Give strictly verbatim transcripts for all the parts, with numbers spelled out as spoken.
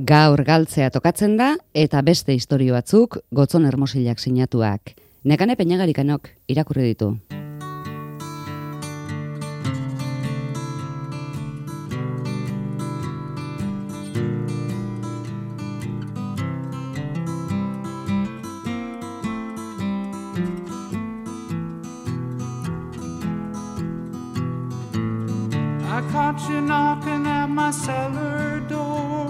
Gaur galtzea tokatzen da eta beste istorio batzuk Gotzon Hermosilak sinatuak. Nekane Peñagarikanok irakurri ditu. I caught you knocking at my cellar door.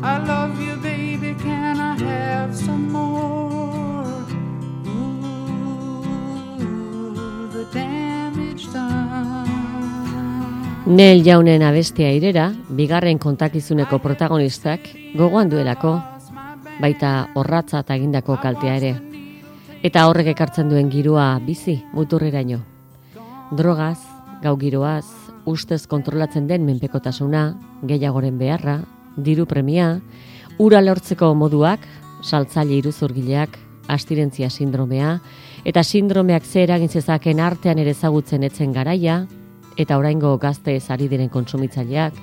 I love you, baby, can I have some more? Ooh, the damage done. Nel Jaunen abestia irera, bigarren kontakizuneko protagonistak gogoan duelako, baita orratza eta egindako kaltea ere. Eta horrek ekartzen duen giroa bizi muturreraino. Drogaz, gau giroaz, ustez kontrolatzen den menpekotasuna, gehiagoren beharra, diru premia, ura lortzeko moduak, saltzaile iruzurgileak, abstinentzia sindromea, eta sindromeak ze eragin zezaken artean ere ezagutzen etzen garaia, eta oraingo gazte ari diren kontsumitzaileak,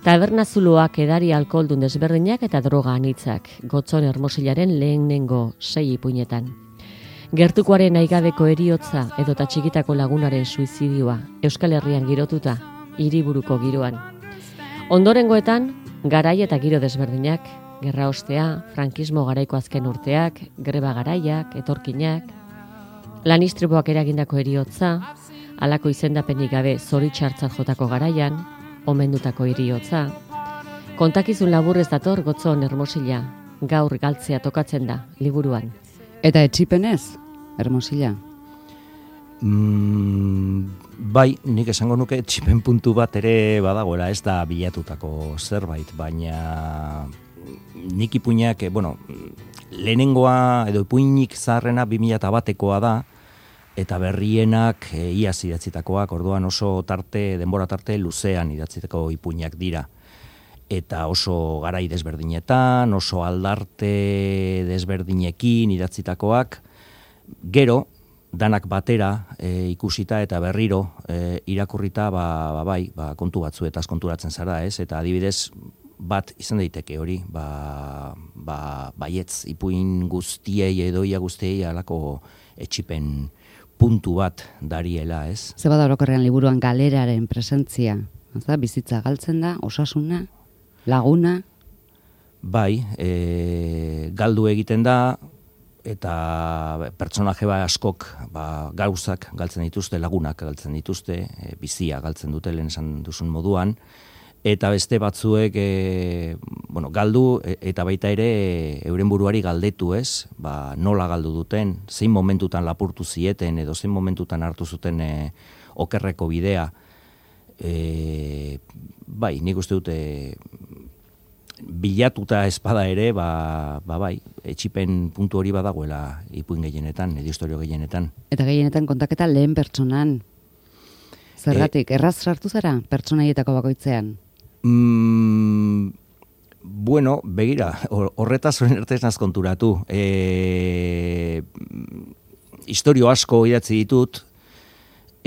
tabernazuloak, edari alkoholdun desberdinak eta droga anitzak, Gotzon Hermosilaren lehenengo sei ipuinetan. Gertukoaren aigabeko eriotza edota txikitako lagunaren suizidioa, Euskal Herrian girotuta, hiriburuko giroan. Ondorengoetan, garai eta giro desberdinak, gerra ostea, frankismo garaiko azken urteak, greba garaiak, etorkinak, lanistriboak eragindako eriotza, halako izendapenik gabe zoritxartzat jotako garaian, omendutako eriotza. Kontakizun laburrez dator Gotzon Hermosila, gaur galtzea tokatzen da, liburuan. Eta etxipenez, Hermosila? Mm, bai, nik esango nuke etxipen puntu bat ere badagoela, ez da bilatutako zerbait, baina nik ipuinak, bueno, lehenengoa edo ipuinik zaharrena bi mila batekoa da, eta berrienak e, iaz idatzitakoak, orduan oso tarte, denbora tarte luzean idatzitako ipuinak dira. Eta oso garai desberdinetan, oso aldarte desberdinekin idatzitakoak, gero, danak batera e, ikusita eta berriro e, irakurrita, ba, ba, bai, ba, kontu batzuetaz konturatzen zara, ez? Eta adibidez, bat izan daiteke hori, ba, ba, baietz ipuin guztiei edo ia guztiei alako etxipen puntu bat dariela, ez? Ze bada orokorrean liburuan galeraren presentzia, ezta? Bizitza galtzen da, osasuna, laguna? Bai, e, galdu egiten da, eta pertsonaje ba askok ba, gauzak galtzen dituzte, lagunak galtzen dituzte, e, bizia galtzen dute lehen esan duzun moduan, eta beste batzuek e, bueno, galdu e, eta baita ere e, euren buruari galdetu, ez? Ba, nola galdu duten, zein momentutan lapurtu zieten edo zein momentutan hartu zuten e, okerreko bidea. E, bai, nik uste dute bilatuta espada ere, ba, ba bai, etxipen puntu hori badagoela ipuin gehienetan, edo historio gehienetan. Eta gehienetan kontaketa lehen pertsonan. Zergatik, e, erraz sartu zara pertsonaietako bakoitzean? Mm, bueno, begira, horretaz horren ertez naz konturatu. E, historio asko idatzi ditut,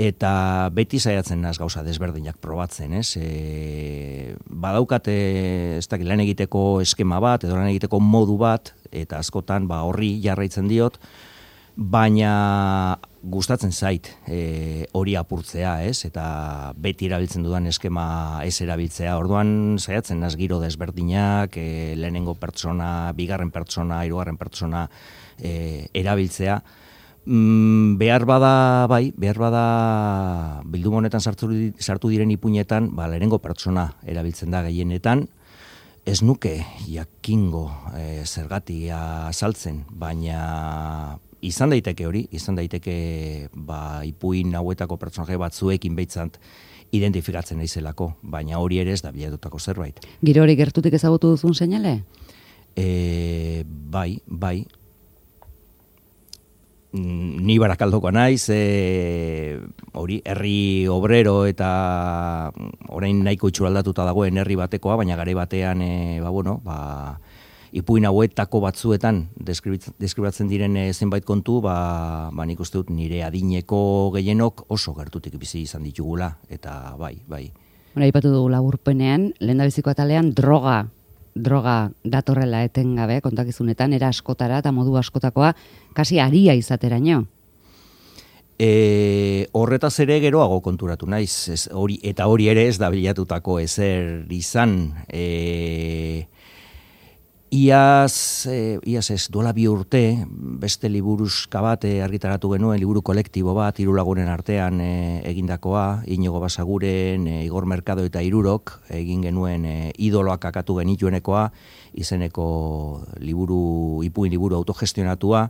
eta beti saiatzen naz gauza desberdinak probatzen, ez? E, badaukate, ez dakit, lan egiteko eskema bat, edo lan egiteko modu bat, eta askotan ba, horri jarraitzen diot, baina gustatzen zait e, hori apurtzea, ez? Eta beti erabiltzen dudan eskema ez erabiltzea. Orduan saiatzen naz giro desberdinak, e, lehenengo pertsona, bigarren pertsona, hirugarren pertsona e, erabiltzea. Mm, behar bada, bai, behar bada bilduma honetan sartu, sartu diren ipuinetan, ba, lehenengo pertsona erabiltzen da gehienetan, ez nuke jakingo e, zergatia azaltzen, baina izan daiteke hori, izan daiteke ba, ipuin hauetako pertsonaje batzuekin behitzant identifikatzen naizelako, baina hori ere ez da bilatutako zerbait. Giro hori gertutik ezagutu duzun seinale? E, bai, bai. Ni Barakaldokoa naiz, e, hori herri obrero eta orain nahiko itxuraldatuta dagoen herri batekoa, baina gare batean e, ba, bueno, ba, ipuin hauetako batzuetan deskribatzen diren e, zenbait kontu, ba, ba nik uste dut nire adineko gehienok oso gertutik bizi izan ditugula, eta bai, bai. Hora, ipatu dugu laburpenean, lehendabiziko atalean droga droga datorrela etengabe kontakizunetan, era askotara eta modu askotakoa, kasi aria izateraino. E, horretaz ere geroago konturatu naiz, ez, hori, eta hori ere ez da bilatutako ezer izan. E, iaz, e, iaz ez, duela bi urte, beste liburuzka bat e, argitaratu genuen, liburu kolektibo bat, hiru lagunen artean e, egindakoa, Inigo Basaguren, e, Igor Merkado eta Hirurok, egin genuen e, idoloak akatu genituenekoa, izeneko liburu, ipuin liburu autogestionatua,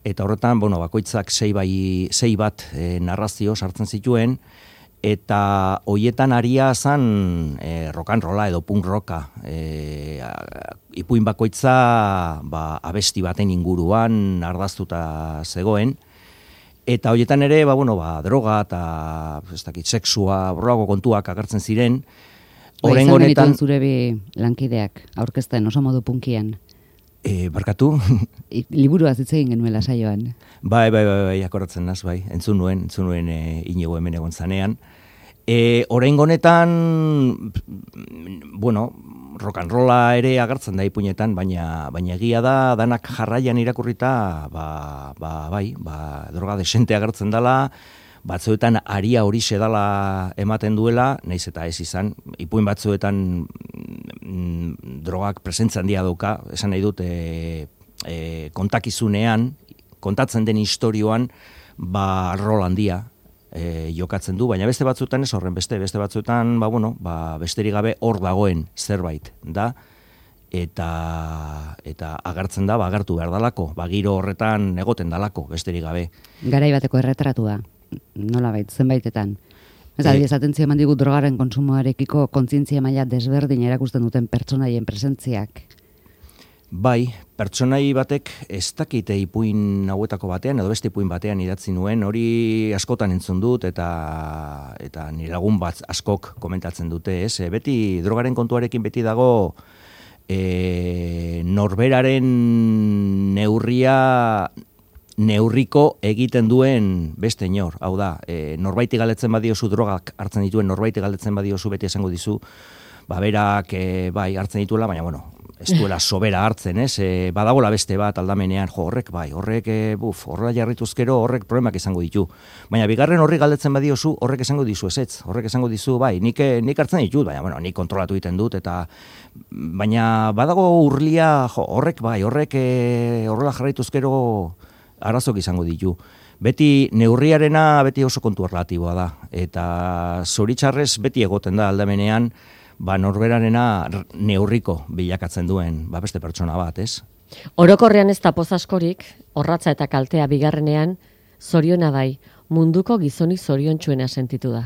eta horretan, bueno, bakoitzak sei, bai, sei bat e, narrazio sartzen zituen, eta hoietan aria zan e, rock and rolla edo punk rocka. E, ipuin bakoitza ba, abesti baten inguruan ardaztuta zegoen, eta hoietan ere, ba, bueno, ba, droga eta ez dakit, sexua, borrako kontuak agertzen ziren. Horren honetan zure bi lankideak aurkezten oso modu punkian. E, barkatu? Liburua hitz egin genuela saioan. Bai, bai, bai, bai, akoratzen naz, bai. Entzun nuen, entzun nuen e, Inigo hemen egon zanean. E, oraingo honetan, bueno, rock and rolla ere agertzen da ipuinetan, baina baina egia da danak jarraian irakurrita, ba, ba, bai, ba, droga desente agertzen dela, batzuetan aria horixe dala ematen duela, naiz eta ez izan, ipuin batzuetan mm, drogak presentzia handia dauka, esan nahi dut e, e, kontakizunean, kontatzen den istorioan, ba rol handia e, jokatzen du, baina beste batzuetan ez horren beste, beste batzuetan, ba bueno, ba besterik gabe hor dagoen zerbait da, eta eta agertzen da, ba agertu behar dalako, ba giro horretan egoten dalako, besterik gabe. Garai bateko erretratua. Nolabait, zenbaitetan. Ez e, esaten eman digu drogaren konsumoarekiko kontzientzia maila desberdin erakusten duten pertsonaien presentziak. Bai, pertsonai batek ez dakite ipuin hauetako batean, edo beste ipuin batean idatzi nuen, hori askotan entzun dut, eta eta nire lagun bat askok komentatzen dute, ez? E, beti drogaren kontuarekin beti dago e, norberaren neurria neurriko egiten duen beste inor. Hau da, e, norbaiti galetzen badiozu drogak hartzen dituen, norbaiti galetzen badiozu beti esango dizu, ba berak e, bai hartzen dituela, baina bueno, ez duela sobera hartzen, ez? E, badagola beste bat aldamenean, jo, horrek bai, horrek, e, buf, horrela jarrituzkero horrek problemak izango ditu. Baina bigarren horri galdetzen badiozu, horrek esango dizu ezetz, horrek esango dizu, bai, nik, nik hartzen ditut, baina bueno, nik kontrolatu egiten dut, eta baina badago urlia, jo, horrek bai, horrek e, horrela jarrituzkero arazok izango ditu. Beti neurriarena beti oso kontu relatiboa da, eta zoritxarrez beti egoten da aldamenean, ba norberarena neurriko bilakatzen duen, ba beste pertsona bat, ez? Orokorrean ez da poz askorik, orratza eta kaltea bigarrenean, zoriona bai, munduko gizonik zoriontsuena sentitu da.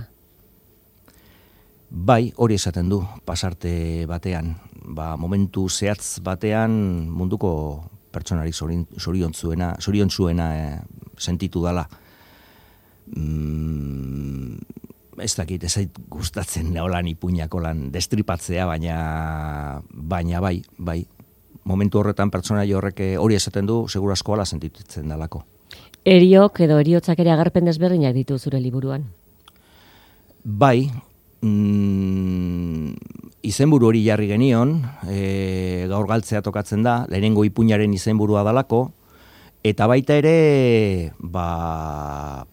Bai, hori esaten du, pasarte batean, ba momentu zehatz batean munduko pertsonari zoriontzuena, zoriontzuena eh, sentitu dala. Mm, ez dakit, ez zait gustatzen neolan ipuinako lan destripatzea, baina, baina bai, bai. Momentu horretan pertsonai horrek hori esaten du, seguru asko ala sentitzen dalako. Eriok edo eriotzak ere agerpen desberdinak ditu zure liburuan? Bai, mm, izenburu hori jarri genion, e, gaur galtzea tokatzen da, lehenengo ipuinaren izenburua dalako, eta baita ere, ba,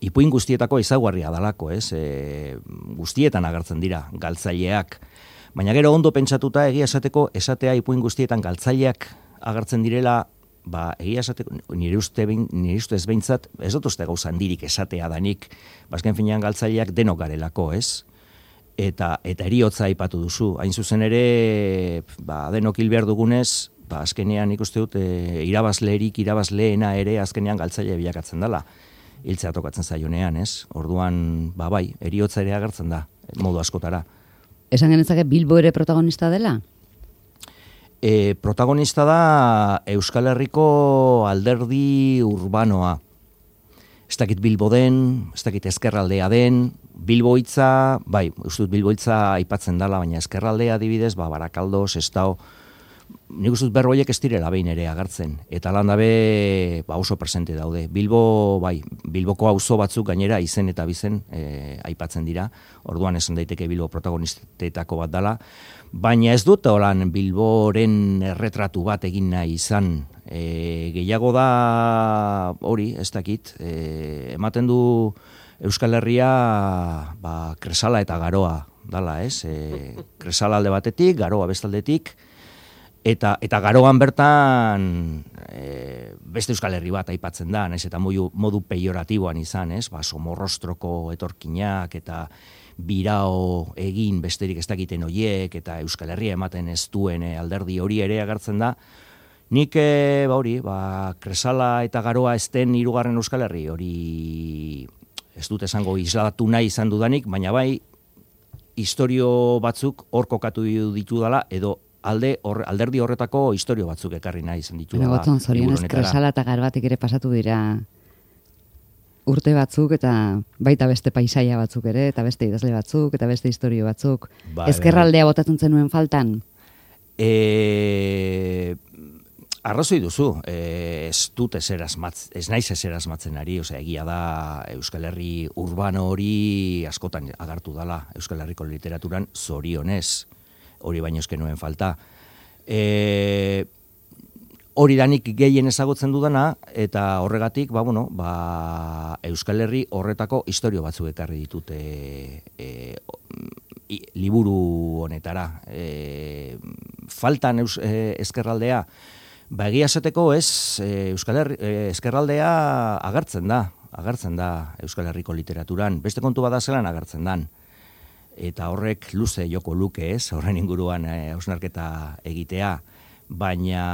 ipuin guztietako ezaugarria dalako, ez? E, guztietan agertzen dira galtzaileak, baina gero ondo pentsatuta egia esateko esatea ipuin guztietan galtzaileak agertzen direla, ba, egia esateko, nire uste, nire uste ez behintzat, ez dut uste gauza handirik esatea danik, bazken finean galtzaileak denok garelako, ez? Eta, eta eriotza aipatu duzu. Hain zuzen ere, ba, denok hil behar dugunez, ba, azkenean ikuste dut, e, irabazleerik, irabazleena ere azkenean galtzaile bilakatzen dela. Hiltzea tokatzen zaionean, ez? Orduan, ba, bai, eriotza ere agertzen da, modu askotara. Esan genetzake Bilbo ere protagonista dela? E, protagonista da Euskal Herriko alderdi urbanoa. Ez dakit Bilbo den, ez dakit ezkerraldea den, Bilboitza, bai, uste dut Bilboitza aipatzen dela, baina ezkerraldea adibidez, ba, Barakaldo, Sestao, nik uste dut berroiek ez direla behin ere agertzen. Eta lan dabe ba, oso presente daude. Bilbo, bai, Bilboko auzo batzuk gainera izen eta bizen e, aipatzen dira. Orduan esan daiteke Bilbo protagonistetako bat dala. Baina ez dut holan Bilboren erretratu bat egin nahi izan. E, gehiago da hori, ez dakit, e, ematen du Euskal Herria ba, Kresala eta Garoa dala, ez? E, Kresala alde batetik, Garoa bestaldetik, eta eta Garoan bertan e, beste Euskal Herri bat aipatzen da, naiz eta modu, modu peioratiboan izan, ez? Ba, Somorrostroko etorkinak eta birao egin besterik ez dakiten hoiek eta Euskal Herria ematen ez duen e, alderdi hori ere agertzen da. Nik e, ba hori, ba, Kresala eta Garoa ez den hirugarren Euskal Herri hori ez dut esango islatu nahi izan dudanik, baina bai historio batzuk hor kokatu ditu dala, edo alde or, alderdi horretako historio batzuk ekarri nahi izan ditu dala. Baina zorionez Kresala eta Garoatik ere pasatu dira urte batzuk, eta baita beste paisaia batzuk ere, eta beste idazle batzuk, eta beste historio batzuk. Ba, ezkerraldea botatzen zenuen faltan? E... Arrazoi duzu, e, ez dut ezer asmatz, ez naiz ezer asmatzen ari, osea, egia da Euskal Herri urbano hori askotan agartu dala Euskal Herriko literaturan, zorionez, hori baino eske nuen falta. E, hori danik gehien ezagutzen dudana, eta horregatik, ba, bueno, ba, Euskal Herri horretako historio batzuk ekarri ditute e, e, liburu honetara. E, faltan eus, e, ezkerraldea, ba, egia esateko ez, Euskal Herri, ezkerraldea agertzen da, agertzen da Euskal Herriko literaturan, beste kontu bada zelan agertzen dan. Eta horrek luze joko luke ez, horren inguruan hausnarketa egitea, baina,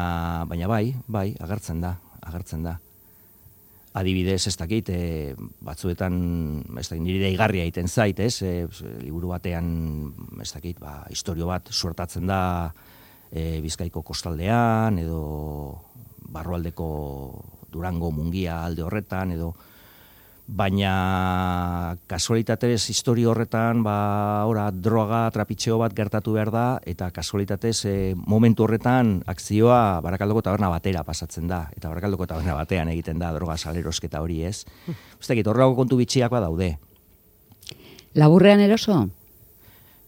baina bai, bai, agertzen da, agertzen da. Adibidez, ez dakit, e, batzuetan, ez dakit, nire deigarria egiten zait, ez, e, liburu batean, ez dakit, ba, historio bat suertatzen da, E, Bizkaiko kostaldean, edo barrualdeko Durango Mungia alde horretan, edo baina kasualitatez historio horretan, ba, ora, droga, trapitxeo bat gertatu behar da, eta kasualitatez e, momentu horretan akzioa Barakaldoko taberna batera pasatzen da, eta Barakaldoko taberna batean egiten da droga salerosketa hori, ez? Uztekit, horrelako kontu bitxiak badaude. Laburrean eroso?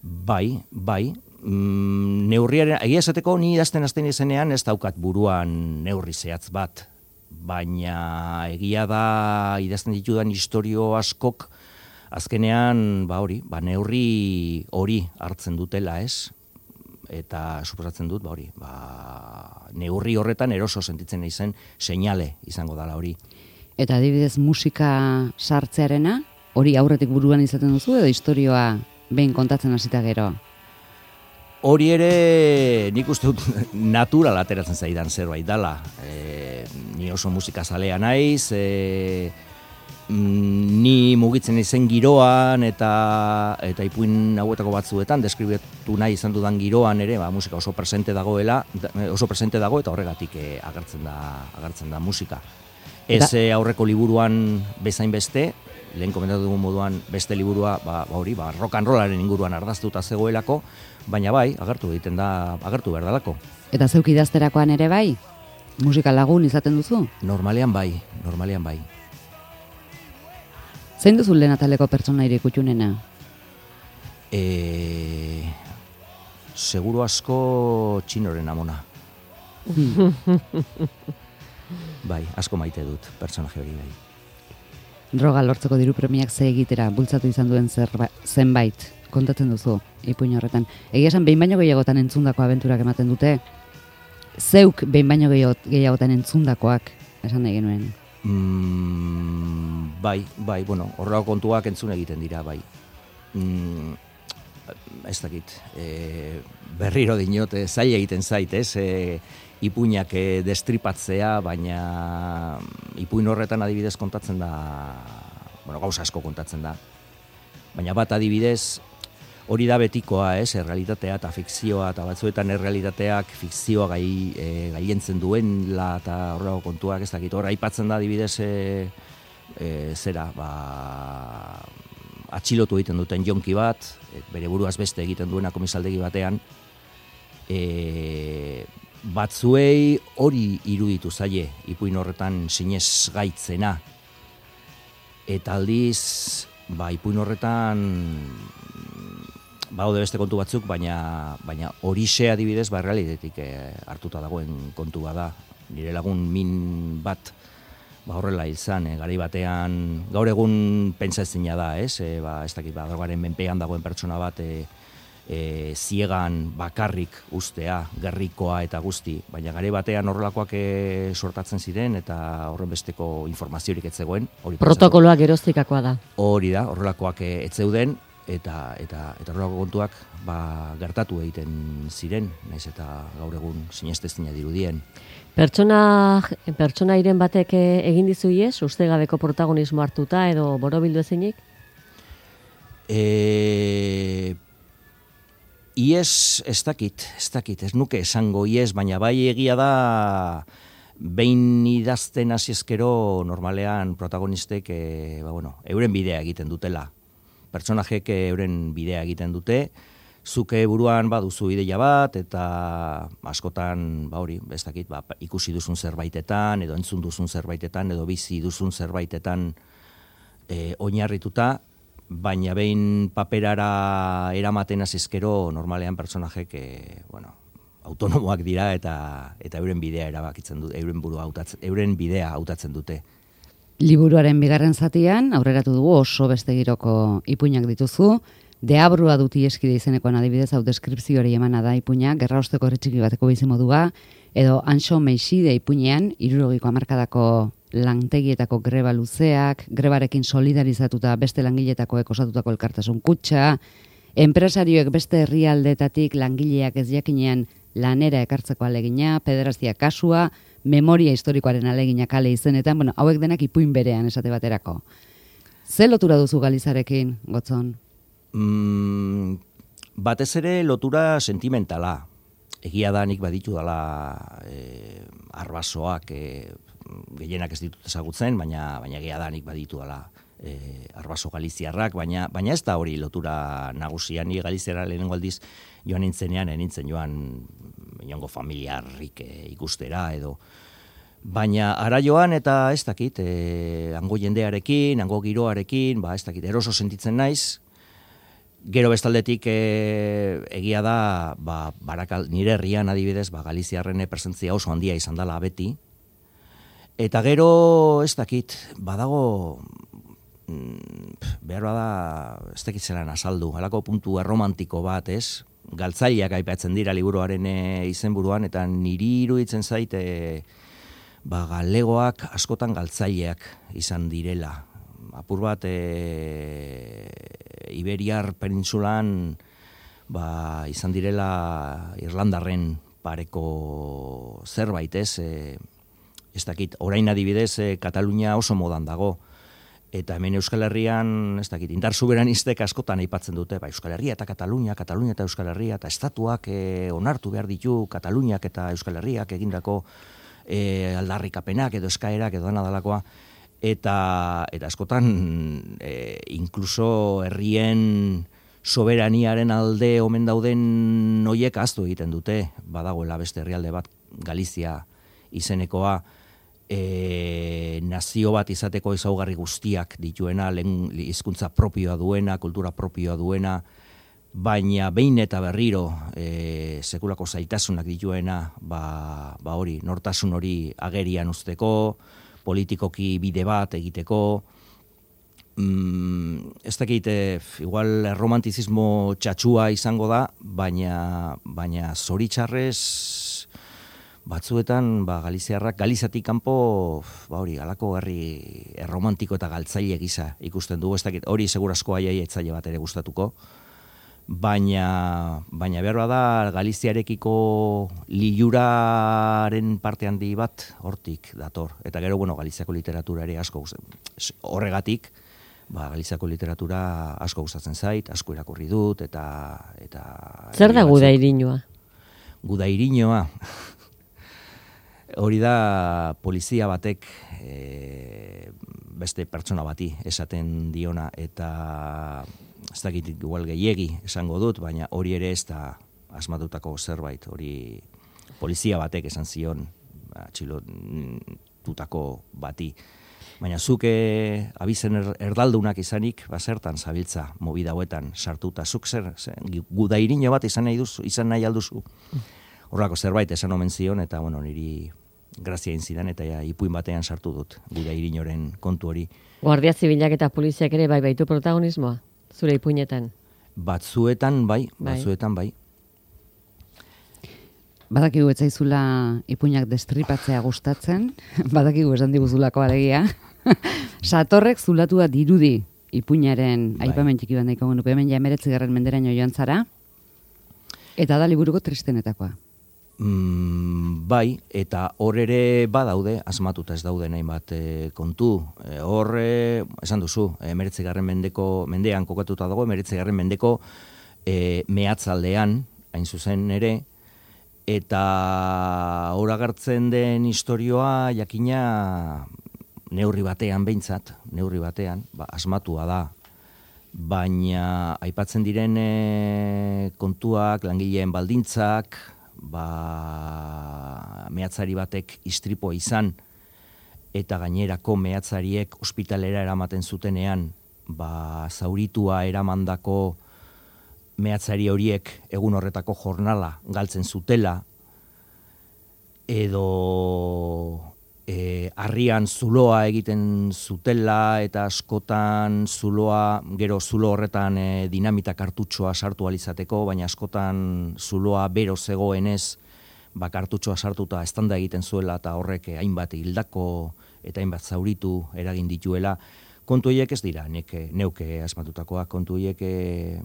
Bai, bai. Mm, neurriaren, egia esateko ni idazten hasten izenean ez daukat buruan neurri zehatz bat, baina egia da idazten ditudan historio askok azkenean ba hori, ba neurri hori hartzen dutela, ez? Eta suposatzen dut, ba hori, ba neurri horretan eroso sentitzen naizen seinale izango dala hori. Eta adibidez musika sartzearena, hori aurretik buruan izaten duzu edo historioa behin kontatzen hasita gero? Hori ere nik uste dut natural ateratzen zaidan zerbait dala. E, ni oso musikazalea naiz, e, ni mugitzen izen giroan eta eta ipuin hauetako batzuetan deskribatu nahi izan dudan giroan ere, ba, musika oso presente dagoela, oso presente dago eta horregatik e, agertzen da agertzen da musika. Ez e, aurreko liburuan bezain beste, lehen komentatu dugun moduan beste liburua, ba, ba hori, ba, rock and rollaren inguruan ardaztuta zegoelako, baina bai, agertu egiten da, agertu behar dalako. Eta zeuk idazterakoan ere bai? Musika lagun izaten duzu? Normalean bai, normalean bai. Zein duzu lehen ataleko pertsonaire kutxunena? E... Seguru asko Txinoren amona. Bai, asko maite dut, pertsonaje hori bai. Droga lortzeko diru premiak ze egitera bultzatu izan duen zerba, zenbait kontatzen duzu ipuin horretan. Egia esan behin baino gehiagotan entzundako abenturak ematen dute. Zeuk behin baino gehiagotan entzundakoak esan nahi genuen. Mm, bai, bai, bueno, horrelako kontuak entzun egiten dira, bai. Mm, ez dakit, e, berriro dinot, e, zaila egiten zait, ez? E, ipuinak e, destripatzea, baina ipuin horretan adibidez kontatzen da, bueno, gauza asko kontatzen da. Baina bat adibidez, hori da betikoa, ez, errealitatea eta fikzioa, eta batzuetan errealitateak fikzioa gai, e, gaientzen duenla eta horrego kontuak, ez dakit, hor aipatzen da adibidez, e, e, zera, ba, atxilotu egiten duten jonki bat, bere buruaz beste egiten duena komisaldegi batean, e, batzuei hori iruditu zaie, ipuin horretan sinez gaitzena. Eta aldiz, ba, ipuin horretan baude beste kontu batzuk, baina baina horixe adibidez, ba, realitetik eh, hartuta dagoen kontua da. Nire lagun min bat, ba, horrela izan, eh, garai batean, gaur egun pentsa ezina da, ez? E, ba, ez dakit, ba, drogaren menpean dagoen pertsona bat, e, e, ziegan bakarrik ustea, gerrikoa eta guzti, baina garai batean horrelakoak e, sortatzen ziren, eta horren besteko informaziorik ez zegoen. Protokoloak geroztikakoa da. Hori da, horrelakoak e, ez zeuden, eta eta eta horrelako kontuak ba, gertatu egiten ziren, naiz eta gaur egun sinestezina dirudien. Pertsona pertsonairen batek egin dizu ies, ustegabeko protagonismo hartuta edo borobildu ezinik? Eh, ies ez dakit, ez dakit, ez nuke esango ies, baina bai egia da behin idazten hasi ezkero normalean protagonistek eh, ba, bueno, euren bidea egiten dutela. Pertsonajek euren bidea egiten dute, zuke buruan baduzu ideia bat, eta askotan, ba hori, ez dakit, ba, ikusi duzun zerbaitetan, edo entzun duzun zerbaitetan, edo bizi duzun zerbaitetan e, oinarrituta, baina behin paperara eramaten azizkero, normalean pertsonajek, e, bueno, autonomoak dira, eta eta euren bidea erabakitzen dute, euren burua hautatzen, euren bidea hautatzen dute. Liburuaren bigarren zatian, aurreratu dugu oso beste giroko ipuinak dituzu, Deabrua dut ieskide izenekoan adibidez, hau deskripzioari emana da ipuina, gerra osteko herritxiki bateko bizimodua, edo Anxo Meixide ipuinean, hirurogiko hamarkadako lantegietako greba luzeak, grebarekin solidarizatuta beste langileetakoek osatutako elkartasun kutxa, enpresarioek beste herrialdetatik langileak ez jakinean lanera ekartzeko alegina, pederazia kasua, memoria historikoaren alegina kale izenetan, bueno, hauek denak ipuin berean esate baterako. Ze lotura duzu Galizarekin, Gotzon? Mm, batez ere lotura sentimentala. Egia da nik baditu dala e, arbasoak e, gehienak ez ditut ezagutzen, baina baina egia da nik baditu dala e, arbaso galiziarrak, baina baina ez da hori lotura nagusia. Ni Galiziara lehenengo aldiz joan nintzenean, nintzen joan inongo familiarrik e, ikustera edo. Baina ara joan eta ez dakit, e, hango jendearekin, hango giroarekin, ba ez dakit, eroso sentitzen naiz. Gero bestaldetik e, egia da, ba, barakal, nire herrian adibidez, ba, Galiziarren presentzia oso handia izan dela beti. Eta gero, ez dakit, badago, mm, behar bada, ez dakit zelan azaldu, halako puntu erromantiko bat, ez? Galtzaileak aipatzen dira liburuaren e, izenburuan, eta niri iruditzen zait, e, ba, galegoak askotan galtzaileak izan direla. Apur bat, e, Iberiar penintsulan ba, izan direla Irlandarren pareko zerbait, ez? E, ez dakit, orain adibidez, e, Katalunia oso modan dago. Eta hemen Euskal Herrian, ez dakit, indar soberanistek askotan aipatzen dute, ba, Euskal Herria eta Katalunia, Katalunia eta Euskal Herria, eta estatuak e, onartu behar ditu Kataluniak eta Euskal Herriak egindako e, aldarrikapenak edo eskaerak edo dena dalakoa. Eta, eta askotan, e, inkluso herrien soberaniaren alde omen dauden noiek ahaztu egiten dute, badagoela beste herrialde bat, Galizia izenekoa, e, nazio bat izateko ezaugarri guztiak dituena, lehen hizkuntza propioa duena, kultura propioa duena, baina behin eta berriro e, sekulako zaitasunak dituena, ba, ba hori, nortasun hori agerian uzteko, politikoki bide bat egiteko, mm, ez dakit, igual romantizismo txatxua izango da, baina, baina zoritxarrez batzuetan ba, Galiziarrak, Galizatik kanpo, ba hori, halako herri erromantiko eta galtzaile gisa ikusten dugu, ez dakit, hori segurasko aiai etzaile bat ere gustatuko, baina baina behar da Galiziarekiko liluraren parte handi bat hortik dator. Eta gero, bueno, Galiziako literatura ere asko horregatik, ba, Galiziako literatura asko gustatzen zait, asko irakurri dut, eta... eta zer da Gudairinoa? Gudairinoa. Hori da polizia batek e, beste pertsona bati esaten diona, eta ez dakit igual gehiegi esango dut, baina hori ere ez da asmatutako zerbait, hori polizia batek esan zion, atxilotutako bati. Baina zuke abizen er, erdaldunak izanik, basertan zabiltza mobida hauetan sartuta. Zuk zer, zer gudairino bat izan nahi, duzu, izan nahi alduzu. Horrako zerbait esan omen zion, eta bueno, niri grazia egin zidan, eta ja, ipuin batean sartu dut gudairinoren kontu hori. Guardia Zibilak eta poliziak ere bai baitu protagonismoa, zure ipuinetan? Batzuetan bai, batzuetan bai. Badakigu ez zaizula ipuinak destripatzea gustatzen, badakigu esan diguzulako alegia. Satorrek zulatua dirudi ipuinaren bai. Aipamen txiki bat nahiko genuke, hemen ja emeretzigarren menderaino joan zara, eta da liburuko tristenetakoa. Mm, bai, eta hor ere badaude, asmatuta ez daude nahi bat e, kontu. E, hor, e, esan duzu, emeretzigarren mendeko, mendean kokatuta dago, emeretzigarren mendeko e, mehatzaldean, hain zuzen ere, eta hor agertzen den istorioa jakina neurri batean behintzat, neurri batean, ba, asmatua da, baina aipatzen diren e, kontuak, langileen baldintzak, ba, mehatzari batek istripoa izan, eta gainerako mehatzariek ospitalera eramaten zutenean, ba, zauritua eramandako mehatzari horiek egun horretako jornala galtzen zutela, edo e, harrian zuloa egiten zutela, eta askotan zuloa, gero zulo horretan e, dinamita kartutxoa sartu alizateko, baina askotan zuloa bero zegoenez, ba, kartutxoa sartuta estanda egiten zuela, eta horrek hainbat hildako eta hainbat zauritu eragin dituela. Kontu horiek ez dira, neke, neuke asmatutakoak, kontu horiek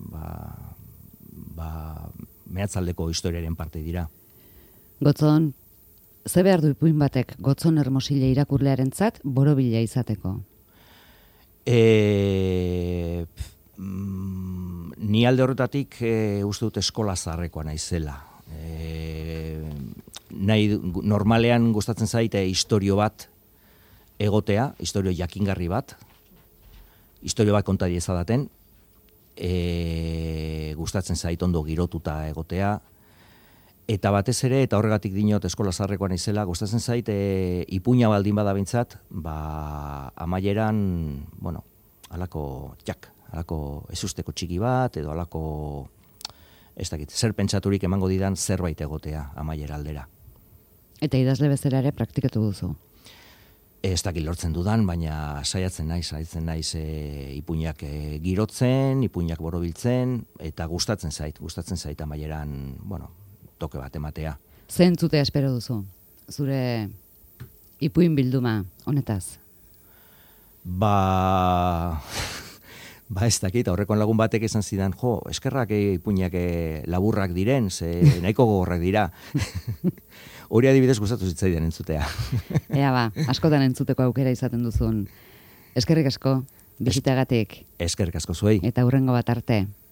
ba, ba, mehatzaldeko historiaren parte dira. Gotzon, ze behar du ipuin batek Gotzon Hermosile irakurlearentzat borobila izateko? E, mm, ni alde horretatik e, uste dut eskola zaharrekoa naizela. E, nahi, normalean gustatzen zaite istorio bat egotea, istorio jakingarri bat, istorio bat konta diezadaten, e, gustatzen zait ondo girotuta egotea, eta batez ere, eta horregatik dinot eskola zaharrekoan izela, gustatzen zait e, ipuina baldin bada bintzat, ba, amaieran, bueno, alako, jak, alako ezusteko txiki bat, edo alako, ez dakit, zer pentsaturik emango didan zerbait egotea amaiera aldera. Eta idazle bezala ere praktikatu duzu? Ez dakit lortzen dudan, baina saiatzen naiz, saiatzen naiz e, ipuinak e, girotzen, ipuinak borobiltzen, eta gustatzen zait, gustatzen zait amaieran, bueno, toke bat ematea. Ze entzutea espero duzu, zure ipuin bilduma honetaz? Ba... Ba ez dakit, aurrekoan lagun batek esan zidan, jo, eskerrak e, ipuinak e, laburrak diren, ze nahiko gogorrak dira. Hori adibidez gustatu zitzaidan entzutea. Ea ba, askotan entzuteko aukera izaten duzun. Eskerrik asko, bizitagatik. Eskerrik asko zuei. Eta hurrengo bat arte.